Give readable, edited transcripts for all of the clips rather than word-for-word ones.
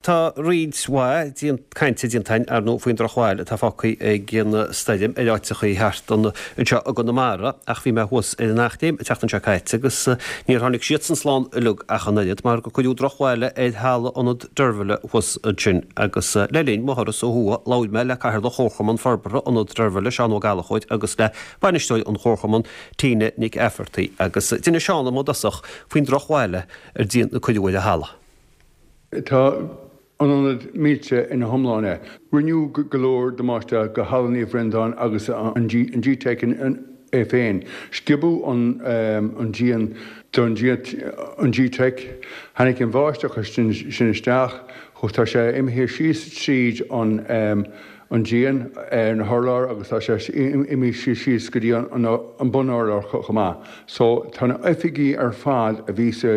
Tá roinnt mhaith cainte déanta againn, ar ndóigh, faoin drochbhail atá fágtha ag an stoirm ar áiteachaí thart anseo i gConamara ach bhí mé thuas ar an Eachléim an tseachtain seo caite agus níor tháinig siadsan slán uilig ach an oiread mar gur cuireadh drochbhail ar halla Ionad Deirbhile thuas ansin agus le linn mo thuras ó thuaidh labhair mé le Cathaoirleach Chomharchumann Forbartha Ionad Deirbhile, Seán Ó Gallchóir agus le Bainisteoir an Chomharchumainn, Tina Nic Eifeartaigh agus d'inis Seán dom i dtosach faoin drochbhail a cuireadh ar an halla. Tá an ionad millte ina hiomláine. Rinneadh go leor damáiste go Halla Naomh Breandán agus an G-Teic é féin. Sciobadh an díon don G-Teic. Tháinig an bháisteach sin isteach. Tá sé imithe síos tríd an díon ar na hurláir agus tá sé imithe síos go dtí an bun-urlár chomh maith. So tá na oifigí ar fad a bhí sa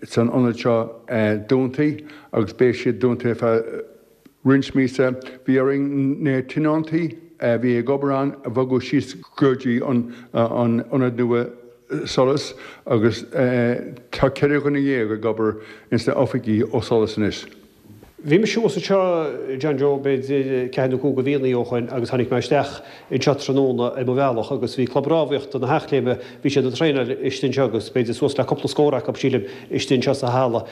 san ionad seo dúnta agus beidh siad dúnta ar feadh roinnt míosa. Bhí orainn na tionóntaí a bhí ag obair ann a bhogadh síos go dtí an ionad nua Solas agus tá 14 dhuine ag obair ins na oifigí ó Solas anois. Bhí mise thuas anseo, John Joe, b'fhéidir ceathair nó cúig de mhíonna ó shoin agus tháinig mé isteach anseo tráthnóna ar mo bhealach agus bhí Club Rámhaíochta na hEachléime, bhí siad ag traenáil istigh anseo agus b'fhéidir suas le cúpla scór acu, sílim, istigh anseo sa halla.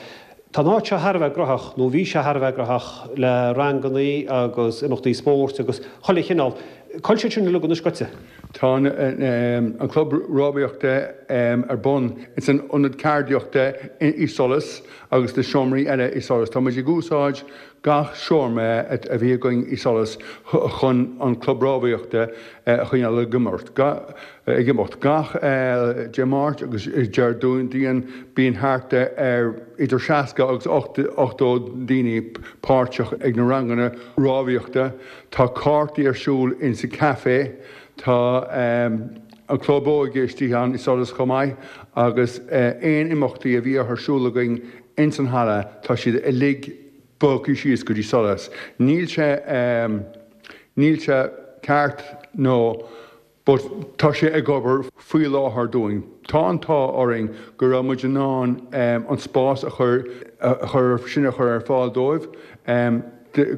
Tá an áit seo thar a bheith graitheach, nó bhí sé thar a bheith graitheach le rangannaí agus imeachtaí spóirt agus chuile chineál. Cá bhfuil siad sin uilig anois goite? Tá an Club Rámhaíochta ar bun ins an Ionad Ceardaíochta i Solas agus na seomraí eile i Solas. Tá muid ag úsáid gach seomra a bhí againn i Solas chun an Club Rámhaíochta a choinneáil ag imeacht. Ag imeacht. Gach Dé Máirt agus Déardaoin bíonn thart ar idir 60 agus 80 daoine páirteach ag na ranganna rámhaíochta. Tá cártaí ar siúl insa café. Tá an club óige istigh ann i Solas chomh maith agus aon imeachtaí a bhíodh ar siúl againn ins an halla tá siad uilig bogtha síos go dtí Solas. Níl sé, níl sé ceart nó but tá sé ag obair faoi láthair dúinn. Tá an t-ádh orainn go raibh muid in ann an spás a chur, a chur, sin a chur ar fáil dóibh,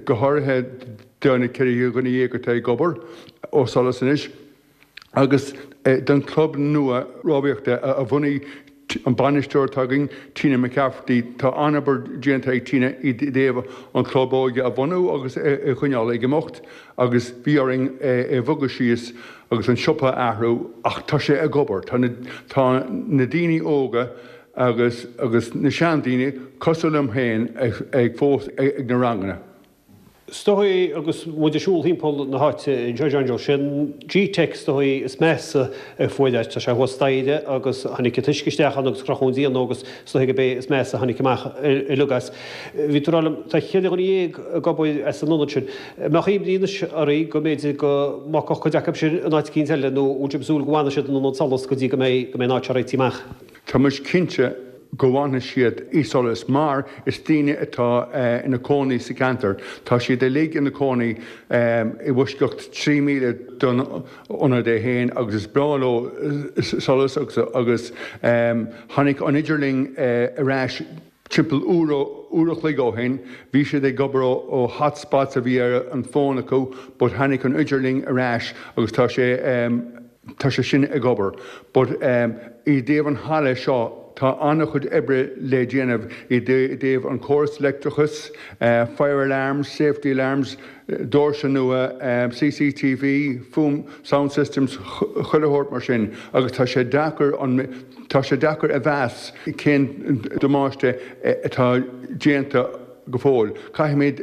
go háirithe do na 14 dhuine atá ag obair ó Solas anois agus don chlub nua rámhaíochta a bhunaigh an bainisteoir atá againn, Tina McCafferty. Tá an-obair déanta ag Tina i dtaobh an chlub óige a bhunú agus a choinneáil ag imeacht agus bhí orainn é a bhogadh síos agus an siopa a athrú ach tá sé ag obair. Tá tá na daoine óga agus agus na seandaoine cosúil liom féin ag fós ag na ranganna. Is dóigh, agus muid ag siúl thimpeall na háite anseo, John Joe, sé an G-Teic is dóigh is measa a fuair é. Tá sé thuas staighre agus tháinig an t-uisce isteach ann agus crochadh an díon dó agus is dóigh gurb é is measa a tháinig amach uilig as. Bhí tú ag rá liom, tá cheithre dhuine dhéag ag obair as an ionad sin. An mbeadh imní anois oraibh go mb'fhéidir go mbogfadh cuid acu sin in áit eicínt eile nó bhfuil sibh ag súil go bhfanfaidh siad in ionad Solas go dtí go mbeidh go mbeidh an áit seo réitithe amach? Tá muid cinnte go bhfanfaidh siad i Solas mar is daoine atá ina cónaí sa cheantar. Tá siad uilig ina cónaí i bhfoisceacht 3 míle don ionad é féin agus is breá leo Solas agus tháinig an idirlinn ar ais timpeall uair a chloig ó shin. Bhí siad ag obair ó hotspots a bhí ar an bhfón acu but tháinig an idirlinn ar ais agus tá sé Tá sé sin ag obair. But i dtaobh an halla seo, tá an-chuid oibre le déanamh i dtaobh an córas leictreachais, fire alarms, safety alarms, doirse nua, CCTV, fuaim, sound systems, chuile shórt mar sin agus tá sé deacair an, tá sé deacair a mheas cén damáiste atá déanta go fóill. Caithfimid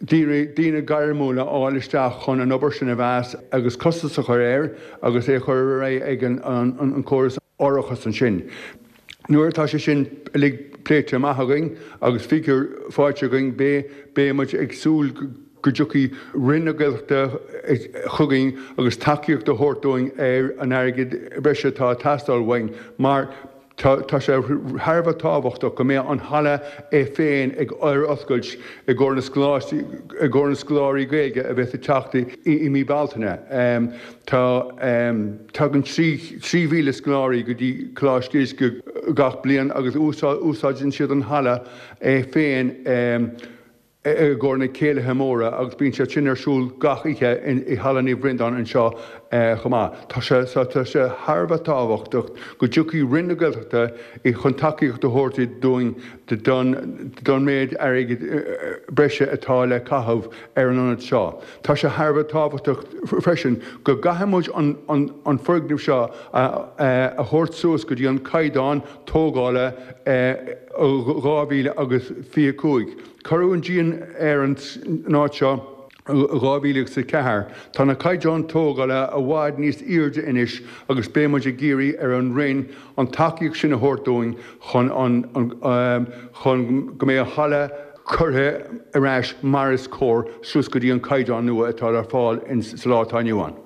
daoine gairmiúla a fháil isteach chun an obair sin a mheas agus costas a chur air agus é a chur ar aghaidh ag an córas árachais ansin. Nuair atá sé sin uilig pléite amach againn agus figiúr faighte againn beidh muid ag súil go dtiocfaidh Roinn na Gaeltachta chugainn agus tacaíocht a thabhairt dúinn ar an airgead breise atá ag teastáil uainn mar. Tá sé thar a bheith tábhachtach go mbeadh an halla é féin ag ar oscailt i gcomhair na scoláistí, i gcomhair na scoláirí Gaeilge a bheas ag teacht i mí Bealtaine. Tá, tagann 3,000 scoláirí go dtí Coláiste Íosa gach bliain agus úsáideann siad an halla é féin. i gcomhair na céilithe móra agus bíonn siad sin ar siúl gach oíche i Halla Naomh Breandán anseo chomh maith. Tá sé tá sé thar a bheith tábhachtach go dtiocfaidh Roinn na Gaeltachta chun tacaíocht a thabhairt dúinn don don méid airgid breise atá le caitheamh ar an ionad seo. Tá sé thar a bheith tábhachtach freisin go gcaithfidh muid an an foirgneamh seo a a thabhairt suas go dtí an caighdeán tógála 2025. Cuireadh an díon ar an áit seo i 2004. Tá na caighdeáin tógála i bhfad níos airde anois agus beidh muid ag iarraidh ar an Roinn an tacaíocht sin a thabhairt dúinn chun an chun go mbeidh an halla curtha ar ais mar is cóir suas go dtí an caighdeán nua atá le fáil sa lá atá inniu ann.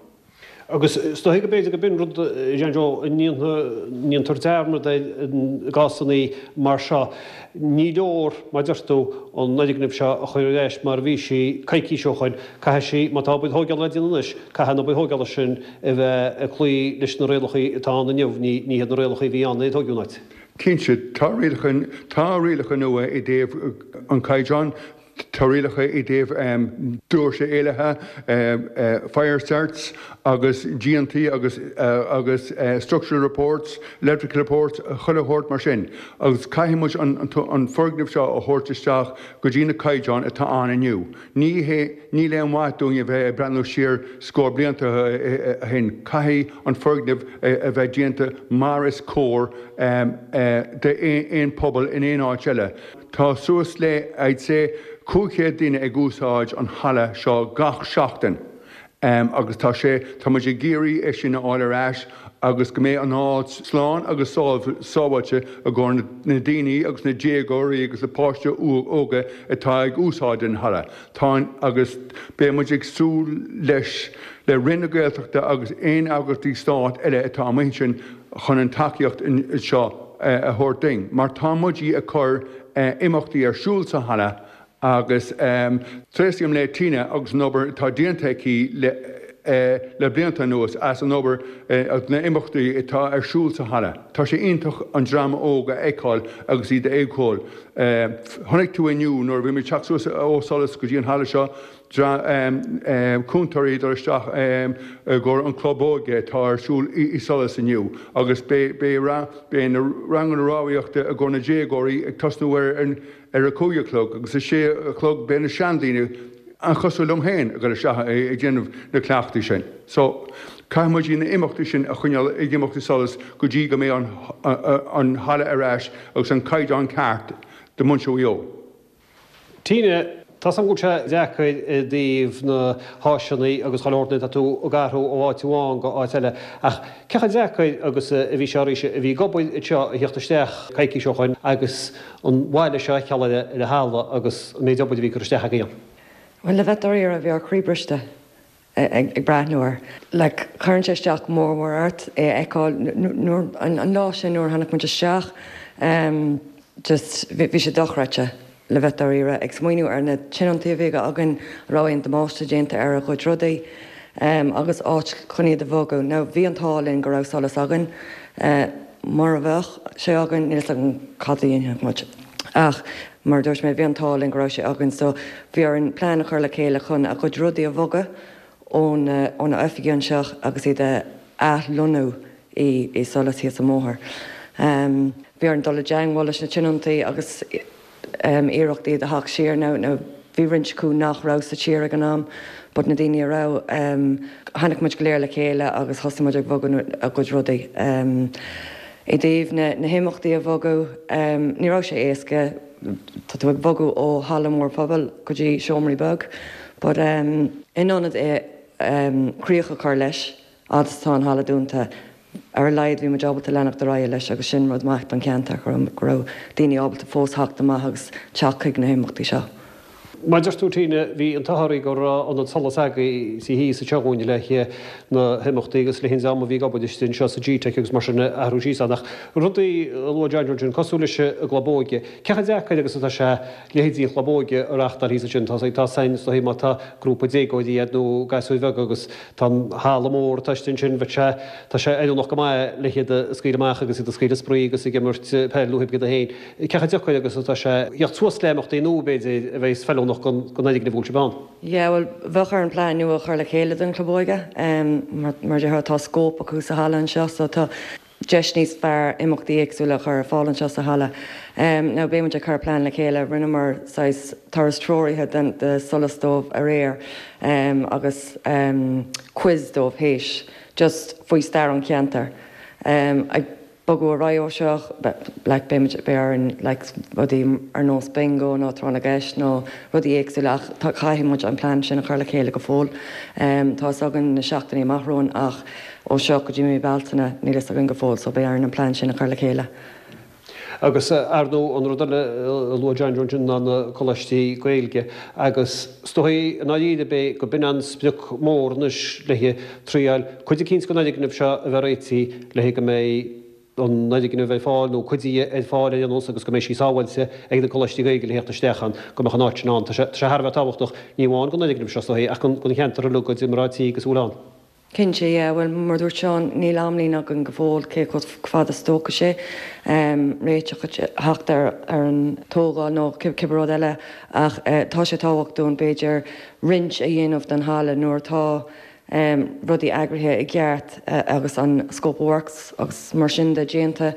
Agus is dóigh go b'fhéidir go b'in rud, a Jean Joe, a ndéantar dearmad air i gcásanna mar seo. Ní leor, mar a deir tú, an fhoirgneamh seo a chur ar ais mar a bhí sí coicís ó shoin. Caithfidh sí, má tá obair thóigeála le déanamh anois, caithfidh an obair thóigeála sin a bheith ag cloí leis na rialacha atá ann inniu, ní hiad na rialacha a bhí ann nuair a tóigeadh an áit. Cinnte, tá rialacha, tá rialacha nua i dtaobh an chaighdeáin. Tá rialacha i dtaobh doirse éalaithe, fire certs agus díontaí agus agus structural reports, electrical reports, chuile shórt mar sin. Agus caithfidh muid an foirgneamh seo a thabhairt isteach go dtí na caighdeáin atá ann inniu. Ní hé, níl aon mhaith dúinn a bheith ag breathnú siar scór blianta ó shin. Caithfidh an foirgneamh a bheith déanta mar is cóir d'aon pobal in aon áit eile. Tá suas le, I'd say, 500 duine ag úsáid an halla seo gach seachtain agus tá sé, tá muid ag iarraidh é sin a fháil ar ais agus go mbeidh an áit slán agus sábháilte i gcomhair na daoine agus na déagóirí agus na páistí óga atá ag úsáid an halla. Tá an, agus beidh muid ag súil leis, le Roinn na Gaeltachta agus aon eagraíochtaí stáit eile atá amuigh ansin chun an tacaíocht seo a thabhairt duinn mar tá muid ag cur imeachtaí ar siúl sa halla agus tréaslaím le Tina agus an obair atá déanta aici le blianta anuas as an obair agus na imeachtaí atá ar siúl sa halla. Tá sé iontach an dream óg a fheiceáil agus iad ag ceol. Chonaic tú inniu nuair a bhí muid ag teacht suas ó Solas go dtí an halla seo, cúntóirí ag dul isteach i gcomhair an club óige atá ar siúl i Solas inniu agus beidh na ranganna rámhaíochta i gcomhair na déagóirí ag tosnú ar a 5 a chlog agus a 6 a chlog beidh na seandaoine, an-chosúil liom féin, ag dul isteach ag déanamh na cleachtaí sin. So, caithfidh muid na imeachtaí sin a choinneáil ag imeacht i Solas go dtí go mbeidh an halla ar ais agus an caighdeán ceart do mhuintir Mhaigh Eo. Tina, Tá's agam go bhfuil sé deacair i dtaobh na háiseanna agus chuile shórt nuair atá tú ag athrú ó áit amháin go áit eile ach cé chomh deacair agus a bhí sé arís a bhí ag obair anseo a theacht isteach coicís ó shoin agus an bhaile seo a fheiceáil ar an halla agus an méid obair a bhí curtha isteach agaibh ann? Bhuel, le bheith dáiríre, bhí ár gcroí briste ag breathnú air. Like, cuireann sé isteach go mór mór ort é a fheiceáil nuair, an lá sin nuair a tháinig muid isteach, just bhí sé dochreidte, le bheith dáiríre, ag smaoineamh ar na tionóntaí a bhí againn, a raibh aon damáiste déanta ar a gcuid rudaí, agus áit chun iad a bhogadh. Now, bhí an t-ádh linn go raibh Solas againn. Mura mbeadh sé againn, níl 'fhios agam cad a dhéanfadh muid. Ach, mar a dúirt mé, bhí an t-ádh linn go raibh sé againn so bhí orainn plean a chur le chéile chun a gcuid rudaí a bhogadh ó na ó na oifigí anseo agus iad a athlonnú i i Solas thíos an bóthar. Bhí orainn dul i dteangmháil leis na tionóntaí agus iarracht iad a theacht siar. Now now bhí roinnt acu nach raibh sa tír ag an am but na daoine a raibh, tháinig muid go léir le chéile agus thosaigh muid ag bogadh a gcuid rudaí. I dtaobh na na himeachtaí a bhogadh, ní raibh sé éasca, tá tú ag bogadh ó halla mór pobail go dtí seomraí beag but in ionad é críoch a chur leis fhad is atá an halla dúnta, ar a laghad bhí muid ábalta leanacht ar aghaidh leis agus sin rud maith don cheantar, go raibh daoine ábalta fós theacht amach agus teacht chuig na himeachtaí seo. Mar a dúirt tú Tina, bhí an t-ádh oraibh go raibh ionad Solas agaibh thíos anseo dhúinn le haghaidh na himeachtaí agus le haghaidh an dream a bhí ag obair istigh anseo sa G-Teic agus mar sin a athrú síos ann. Ach rudaí a luaigh John Joe ansin, cosúil leis an gClub Óige, cé chomh deacair agus atá sé leithéidí an Chlub Óige a reáchtáil thíos ansin? Tá tá sain is dóigh má tá grúpa déagóirí ann nó gasúir bheaga agus tá an halla mór atá istigh ansin, bheadh sé, tá sé oiriúnach go maith le hiad a scaoileadh amach agus iad ag scaoileadh spraoi agus ag imirt peil nó pé rud é féin. Cé chomh deacair agus atá sé theacht suas le imeachtaí nua, b'fhéidir, a bheas feiliúnach don fhoirgneamh a bhfuil sibh ann? Yeah, bhuel, bheadh orainn plean nua a chur le chéile don Chlub Óige. Mar a déarfá, tá scóip acu sa halla anseo so tá deis níos fearr imeachtaí éagsúla a chur ar fáil anseo sa halla. Now, beidh muid ag cur plean le chéile. Rinneamar saghas turas treoraithe den, de Solas dóibh aréir agus quiz dóibh théis, just faoi stair an cheantair. Ag bogadh ar aghaidh ó seo, like, beidh muid, beidh orainn, like, rudaí ar nós bingo nó tráth na gceist nó rudaí éagsúla ach tá, caithfidh muid an plean sin a chur le chéile go fóill. Tá fhios againn na seachtainí amach romhainn ach ó seo go dtí mí Bealtaine níl fhios againn go fóill so beidh orainn an plean sin a chur le chéile. Agus, ar ndóigh, an rud eile a luaigh John Joe ansin ná na coláistí Gaeilge agus is dóigh i ndáiríre b'é go b'in an sprioc mór anois le haghaidh triail cuid eicínt den fhoirgneamh seo a bheith réitithe le haghaidh go mbeidh an fhoirgneamh ar fáil nó cuid de ar fáil ar aon nós agus go mbeidh sí sábháilte ag na coláistí Gaeilge le theacht isteach ann, go mbeadh an áit sin ann. Tá sé thar a bheith tábhachtach, ní amháin don fhoirgneamh seo is dóigh ach don cheantar uilig do mná tí agus a bhfuil ann. Cinnte, yeah. Bhuel, mar a dúirt Seán, níl amlíne againn go fóill cé chomh fada is a tógfaidh sé réiteach a theacht ar an tógáil nó cibé rud eile ach tá sé tábhachtach dúinn b'fhéidir roinnt a dhéanamh den halla nuair atá rudaí eagraithe i gceart agus an scope of works agus mar sin de déanta.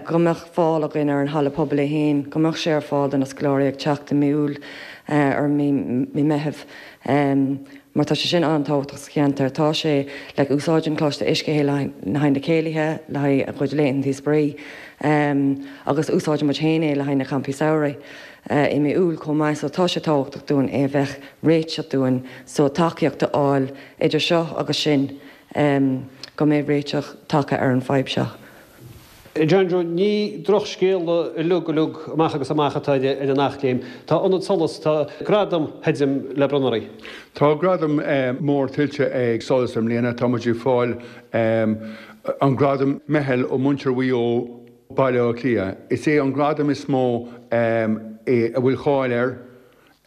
go mbeadh fáil againn ar an halla pobail é féin, go mbeadh sé ar fáil do na scoláirí ag teacht i mí Iúil or mí Meitheamh mar tá sé sin an-tábhachtach sa cheantar. Tá sé, like, úsáideann Coláiste Uisce é le haghaidh na céilithe, le haghaidh a gcuid laethanta spraoi agus úsáideann muid féin é le haghaidh na campaí samhraidh i mí Iúil chomh maith so tá sé tábhachtach dúinn é a bheith réiteach dúinn so tacaíocht a fháil idir seo agus sin go mbeidh réiteach tagtha ar an fadhb seo. John Joe, ní drochscéala uilig uilig amach agus amach atá ar an Eachléim. Tá Ionad Solas, tá gradam feidhm le bronnadh oraibh. Tá gradam mór tuillte ag Solas i mbliana. Tá muid ag fáil an gradam Meitheal ó Muintir Mhaigh Eo, Baile Átha Cliath. Is é an gradam is mó é a bhfuil cáil air.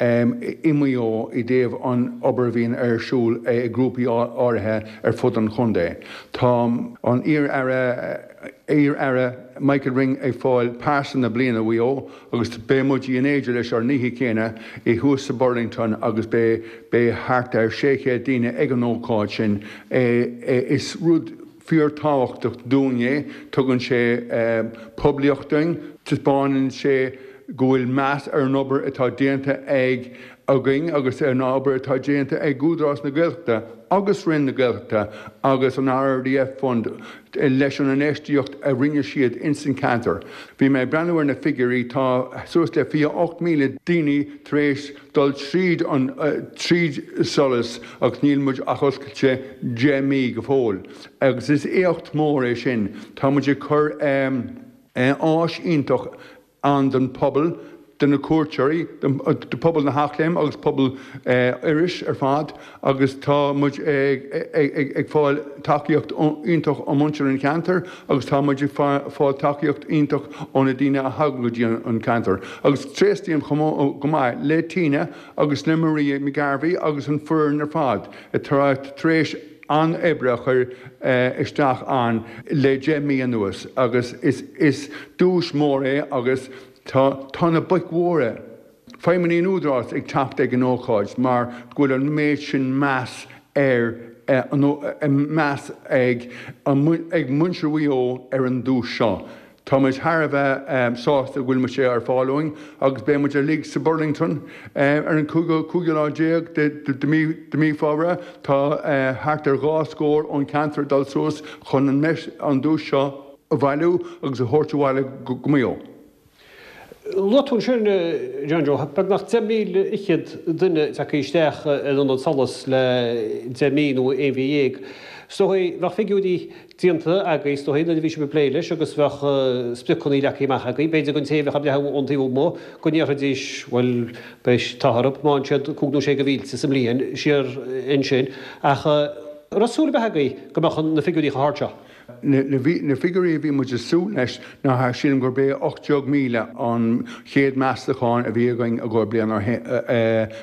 i Maigh Eo i dtaobh an obair a bhíonn ar siúl ag grúpaí áirithe ar fud an chontae. Tá an iar-aire iar-aire Michael Ring ag fáil Pearsa na Bliana Mhaigh Eo agus beidh muid in éindí leis ar an oíche chéanna i thuas sa Burlington agus beidh beidh thart ar 600 daoine ag an ócáid sin. Is rud fíor-tábhachtach dúinn é, tugann sé poiblíocht dúinn, taispeánann sé go bhfuil meas ar an obair atá déanta ag againn agus ar an obair atá déanta ag Údarás na Gaeltachta agus Roinn na Gaeltachta agus an RRDF Fund leis an infheistíocht a rinne siad ins an ceantar. Bhí mé ag breathnú ar na figiúirí, tá suas le 28,000 daoine tar éis dul tríd an tríd Solas agus níl muid ach oscailte 10 mí go fóill agus is éacht mór é sin. Tá muid ag cur áis iontach ann don phobal, do na cuairteoirí, do phobal na hEachléime agus pobal Iorrais ar fad agus tá muid ag fáil tacaíocht iontach ó mhuintir an cheantair agus tá muid ag fáil tacaíocht iontach ó na daoine a thagann go dtí an ceantar. Agus tréaslaím chomh go maith le Tina agus le Maria McGarvey agus an foireann ar fad atá tar éis an-oibre a chur isteach ann le 10 mí anuas agus is duais mór é agus tá na boic mhóra, feidhmeannaigh an Údaráis ag teacht ag an ócáid mar go bhfuil an méid sin meas ar meas ag ag muintir Mhaigh Eo ar an duais seo. Tá muid thar a bheith sásta go bhfuil sé ar fáil dúinn agus beidh muid uilig sa Burlington ar an cúigiú lá déag de mí Feabhra. Tá thart ar dhá scór ón cheantar ag dul suas chun an duais seo a bhailiú agus a thabhairt abhaile go Maigh Eo. Luaigh tú ansin, John Joe, beagnach 10,000 fhichead duine tagtha isteach ar Ionad Solais le 10 mí nó aon mhí dhéag. Is dóigh, bheadh figiúirí déanta agaibh, is dóigh, nuair a bhí sibh ag plé leis agus bheadh spriocanna leagtha amach agaibh. B'fhéidir don té a bheadh ag breathnú ón taobh amuigh go ndéarfaidís, bhuel, beidh an t-ádh orthu má fhaigheann siad 5 nó 6 de mhílte sa mbliain siar ansin. Ach an raibh súil ar bith agaibh go mbeadh na figiúirí chomh hard seo? Na figiúirí a bhí muid ag súil leis ná sílim gurb é 18,000 an chéad meastachán a bhí againn i gcomhair bliain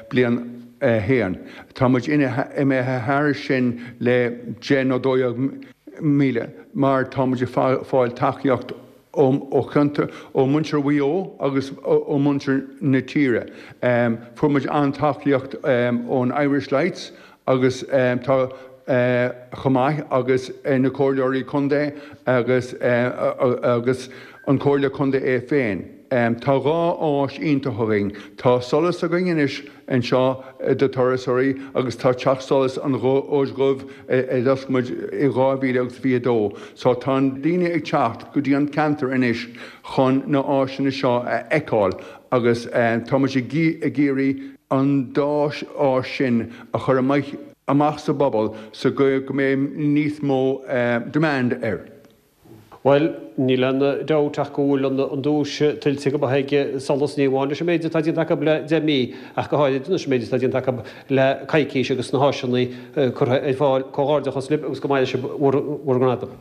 bliain a haon. Tá muid imithe thairis sin le 10 nó 12,000 mar tá muid ag fáil tacaíocht ó cheantar, ó mhuintir Mhaigh Eo agus ó mhuintir na tíre. Fuair muid an-tacaíocht ón Irish Lights agus tá chomh maith agus na comhairleoirí contae agus agus an Comhairle Contae é féin. Tá dhá áis iontach againn. Tá Solas againn anois anseo do turasóirí agus tá Teach Solais an Róis Dhuibh a d'oscail muid i 2022. So tá daoine ag teacht go dtí an ceantar anois chun na áiseanna seo a fheiceáil agus tá muid ag iarraidh an dá áis sin a chur amach amach sa bpobal sa gcaoi go mbeidh níos mó demand air. Bhuel, níl aon dabht ach go bhfuil an duais tuillte go maith ag Solas, ní amháin leis an méid atá déanta acu le 10 mí, ach go háirid leis an méid atá déanta acu le coicís agus na háiseanna curtha ar fáil. Comhghairdeachas libh agus go mbaine sibh bhur ngradam.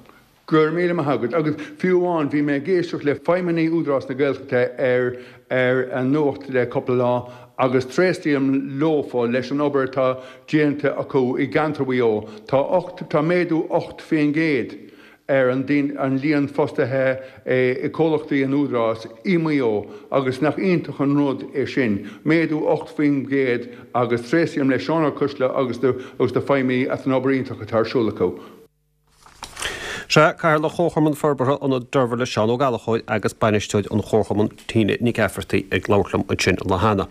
Go raibh míle maith agat. Agus fiú amháin, bhí mé ag éisteacht le feidhmeannaigh Údarás na Gaeltachta ar ar an nuacht le cúpla lá agus tréaslaím leofa leis an obair atá déanta acu i gceantar Mhaigh Eo. Tá tá méadú 8% ar an an líon fostaithe i comhlachtaí an Údarás i Maigh Eo agus nach iontach an rud é sin, méadú 8% agus tréaslaím le Seán Ó Coisle agus agus na feidhmeannaigh as an obair iontach atá ar siúl acu. Sea, Cathaoirleach Chomharchumann Forbartha Ionad Deirbhile, Seán Ó Gallchóir agus Bainisteoir an Chomharchumainn, Tina Nic Eafartaigh ag labhairt liom ansin an lá cheana.